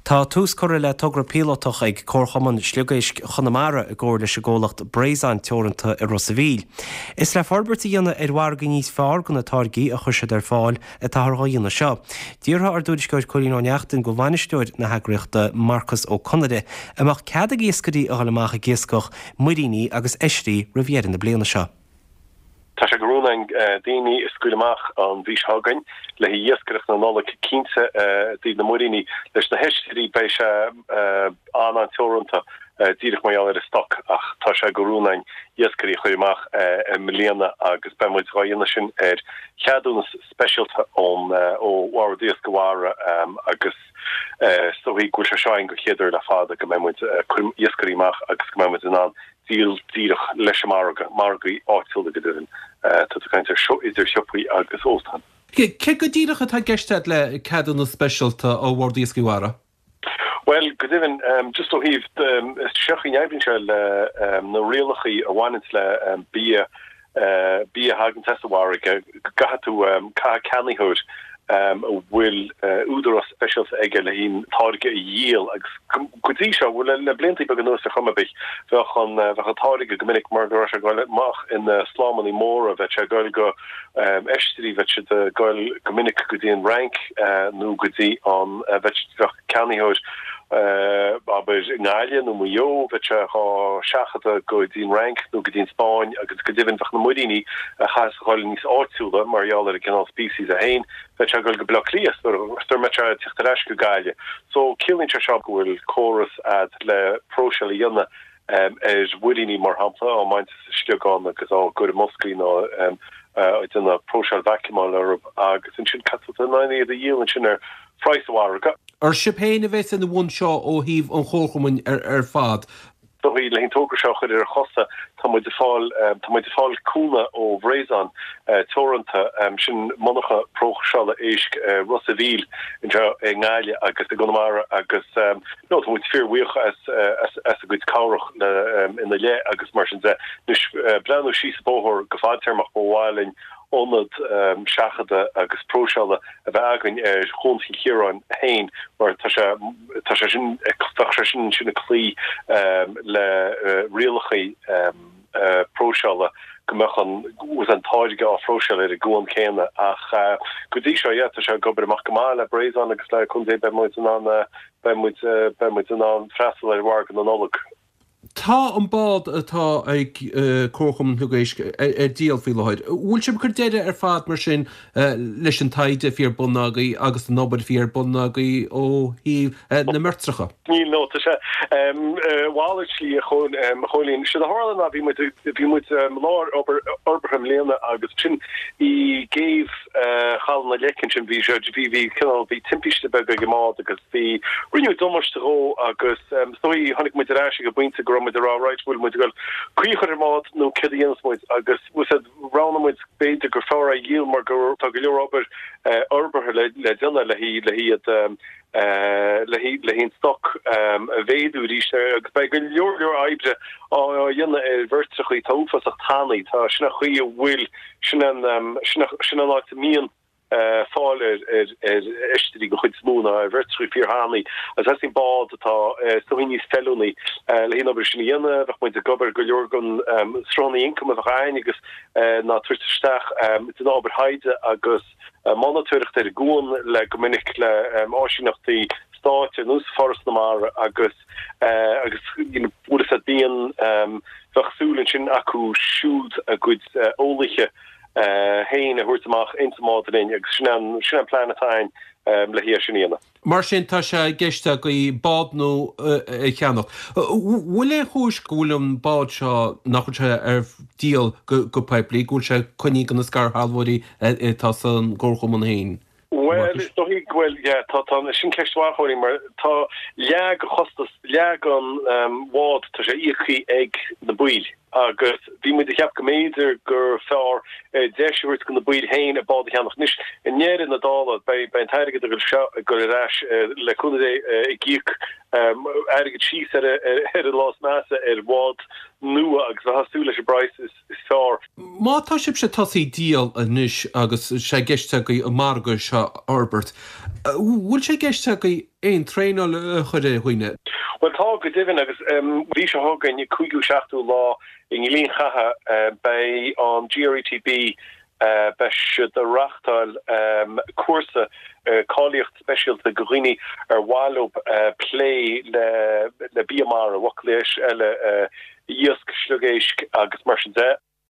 Tá tús curtha le togra píolótach ag Comharchumann Sliogéisc Chonamara i gcomhar leis an gcomhlacht Braison Teoranta i Ros a' Mhíl. Is le forbairt a dhéanamh ar mhargaí níos fearr do na táirgí a chuir siad ar fáil atáthar dhá dhéanamh seo. D'fhiafraigh ár dtuairisceoir Cóilín Ó Neachtain de bhainisteoir na heagraíochta Marcus Ó Conaire an mbeadh cead ag iascairí a dhul amach ag iascach muiríní agus oisrí roimh dheireadh na bliana seo. Tá sé de rún againn daoine a scaoileadh amach an mhí seo chugainn le haghaidh iascaireacht na Nollag cinnte i dtaobh na muiríní. Leis na hoisrí beidh sé an-an-teoranta díreach mar gheall ar an stoc ach tá sé de rún againn iascairí a chur amach i mbliana agus beidh muid dhá dhéanamh sin ar cheadúnas speisialta ón ó Bhord Iascaigh Mhara agus is dóichí go bhfuil sé seo againn go chéad uair le fada go mbeidh muid ag cur iascairí amach agus go mbeidh muid in ann díol díreach leis an margadh, margaí áitiúla go deimhin. Tá tú ag caint ar seo idir shiopaí agus óstáin. Céard go díreach atá i gceist agat le ceadúnas speisialta ó Bhord Iascaigh Mhara? Bhuel, go deimhin, just ó thaobh, seo chaoi a n-oibríonn sé le na rialachaí a bhaineanns le bia, bia a thaganns as an bhfarraige, go gcaithfidh tú, caithfidh ceannaitheoir a bhfuil údarás speisialta aige le haghaidh an táirge a dhíol agus go dtí seo, bhuel le blianta beaga anuas ar chuma ar bith, bheadh an, bheadh an táirge go minic mar go raibh sé ag dul amach ina slámannaí móra, bheadh sé ag dul go oisrí, bheadh siad ag dul go minic go dtí an Fhrainc nó go dtí an, bheadh ceannaitheoir abair i nGaillimh nó Maigh Eo, bheadh sé dhá seachadadh go dtí an Fhrainc nó go dtí an Spáinn agus go deimhin bheadh na muiríní a chaithfeas a dhul níos áitiúla mar gheall ar an gcineál species é féin, bheadh sé ag dul go Baile Átha Cliath sara mbeadh sé ag teacht ar ais go Gaillimh. So ciallaíonn sé seo go bhfuil córas a'd le próiseáil a dhéanamh ar mhuiríní mar shampla, á mbaint as an sliogán agus á gcur i mboscaí nó ag déanamh próiseáil vacuumáil orthu agus ansin caithfidh tú in ann iad a dhíol ansin ar phraghas an mhargaidh. Ar sibh féin a bheas ina bhun seo ó thaobh an chomharchumainn ar fad? Dóigh le an togra seo a chur ar a chosa, tá muid ag fáil, tá muid ag fáil cúnamh ó Bhraison Teoranta, sin monarcha próiseála éisc Ros a' Mhíl anseo i nGaillimh agus i gConamara agus no tá muid fíorbhuíoch as, as, as a gcuid cabhrach le, ina leith agus mar sin de. Anois, breathnú síos an bóthar go fadtéarmach, ba mhaith linn ionad seachadta agus próiseála a bheith againn ar Chuan Chill Chiaráin féin mar tá sé tá sé sin bheadh sé sin ansin ag cloí le rialacha próiseála go mbeadh an an táirge á phróiseáil ar an gcuan céanna ach go dtí seo yeah tá sé ag obair amach go maith le Braison agus le cúnamh Dé beidh muid in ann beidh muid beidh muid in ann freastal ar mhargadh na Nollag. Tá an bád atá ag Comharchumann Shliogéisc ar díol faoi láthair. Bhfuil sibh ag cur deireadh ar fad mar sin leis an taighde a bhí ar bun agaibh agus an obair a bhí ar bun agaibh ó thaobh na mbeirtreacha? Níl, no, tá sé a mhalairt slí a Chóilín. Séard a tharla ná bhí muid bhí muid i lár obair fhorbartha i mbliana agus ansin i gcéibh Chaladh na Leice ansin bhí sé bhí bhí cineál bhí timpiste beag ag an mbád agus bhí rinneadh damáiste dhó agus is dóigh tháinig muid ar ais ag an bpointe go raibh muid ag rá right bhfuil muid ag dul caoi a chur ar an mbád nó céard a dhéanfas muid agus bhfuil said roghnaigh muid b'fhéidir gur fearr é a dhíol mar go tá go leor obair fhorbartha le le déanamh le le hiad le le an stoc a mhéadú arís agus beidh go leor leor oibre á dhéanamh ar bheirtreachaí atá uafásach tanaí tá sin an chaoi a bhfuil sin an sin an áit a mbíonn fáil ar oisrí den chuid is mó ná ar bheirtreachaí fíorthanaí agus theastaíonn bád atá is dóigh níos feiliúnaí le haghaidh an obair sin a dhéanamh. Bheadh muid ag obair go leor den sruthanna ioncaim a bheadh againn agus ná tabhairt isteach den obair thaighde agus monatóireacht ar an gcuan le go minic le áisíneachtaí stáit ar nós Foras na Mara agus agus you know bhfuil a fhios agat bíonn bheadh súil ansin acu siúd a gcuid eolaithe féin a thabhairt amach ins an mbád linn agus sin an sin an plean atá againn le haghaidh é sin a dhéanamh. Mar sin tá sé i gceist agaibh bád nua a cheannach. Bhfuil aon chúis go bhfuil an bád seo, nach bhfuil sé ar díol go poiblí, go bhfuil sé coinnithe do na scairshealbhóirí atá san gcomharchumann féin? Bhuel, is dóigh go bhfuil, yeah, tá, tá, sin ceist mhaith, a Chóilín, mar tá leath den chostas, leath den bhád, tá sé íoctha ag na baill agus bhí muid ag ceapadh go mb'fhéidir gur fearr deis a thabhairt do na baill féin an bád a cheannach. Anois, i ndeireadh na dála, beidh, beidh an t-airgead ag dul seo ag dul ar ais le cúnamh Dé ag íoc. Airgead síos ar an lá is measa ar bhád nua agus bheifeá ag súil leis an bpraghas is fearr. Má tá sibhse tosaithe ag díol anois agus sé i gceist agaibh an margadh seo a fhorbairt, bhfuil sé i gceist agaibh aon traenáil a chur ar dhaoine? Bhuel tá, go deimhin, agus mhí seo chugainn, cúigiú seachtú lá i ngleann Chatha, beidh an GRETB Beidh siad ag reáchtáil cúrsa cáilíocht speisialta do dhaoine ar mhaith leo plé le bia mara, i bhfocail eile iasc, sliogéisc agus mar sin de.